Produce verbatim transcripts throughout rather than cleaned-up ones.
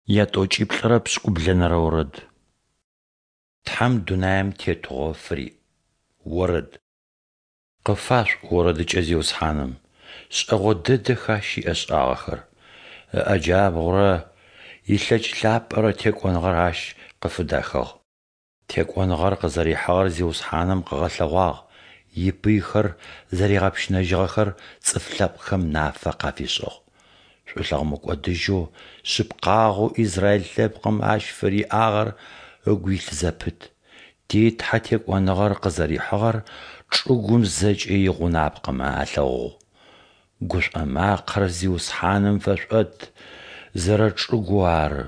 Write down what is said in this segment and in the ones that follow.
Ятӏокӏиплӏырэ пшӏыкӏублэнэрэ орэд. Тхьэм дунаим тетыгъо фыриӏ. Орэд. Къыфашъуӏу орэдыкӏэ Зиусхьаным, шӏэгъо дэдэх Ащ иӏэшӏагъэхэр. Ыӏэ джабгъурэ илъэкӏ лъапӏэрэ текӏоныгъэр Ащ къыфыдахыгъ. Текӏоныгъэр къызэрихьыгъэр Зиусхьаным къыгъэлъэгъуагъ, ипыйхэр зэригъэпщынэжьыгъэхэр цӏыф лъэпкъхэм нафэ къафишӏыгъ. Шӏулъэгъу мыкӏодыжьэу, шъыпкъагъэу Израиль лъэпкъым Ащ фыриӏагъэр ыгу илъ зэпыт. Ти Тхьэ текӏоныгъэр къызэрихьыгъэр чӏыгум зэкӏэ игъунапкъэмэ алъэгъугъ. Гушӏо макъэр Зиусхьаным фэшъуӏэт, зэрэчӏыгоу ары,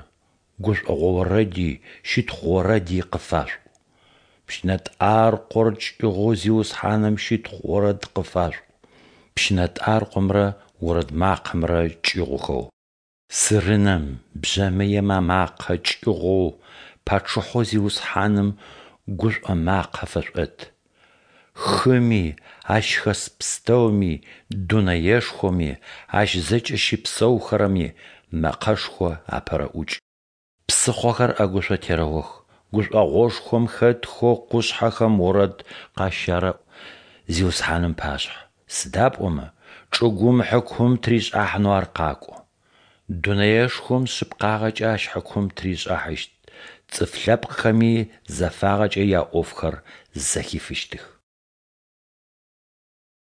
гушӏогъо орэди щытхъу орэди къыфашъуӏу. Пщынэтӏаркъор кӏыгъоу Зиусхьаным щытхъу орэд къыфашъуӏу, пщынэтӏаркъомрэ орэд макъэмрэ кӏыгъухэу. Сырынэм, бжъэмыем амакъэ кӏыгъоу Пачъыхьэу Зиусхьаным гушӏо макъэ фэшъуӏэт. Хыми, ащ хэс пстэуми, дунэешхоми, ащ зэкӏэ щыпсэухэрэми мэкъэшхо апэрэӏукӏ. Псыхъохэр ӏэгушъо терэох, гушӏогъошхом хэтхэу къушъхьэхэм орэд къащарэӏу Зиусхьаным ыпашъхьэ, сыда пӏомэ чӏыгум хьыкум тыришӏыхьанэу Ар къакӏо. Дунэешхом шъыпкъагъэкӏэ Ащ хьыкум тыришӏыхьащт, цӏыф лъэпкъхэми зэфагъэкӏэ яӏофхэр зэхифыщтых.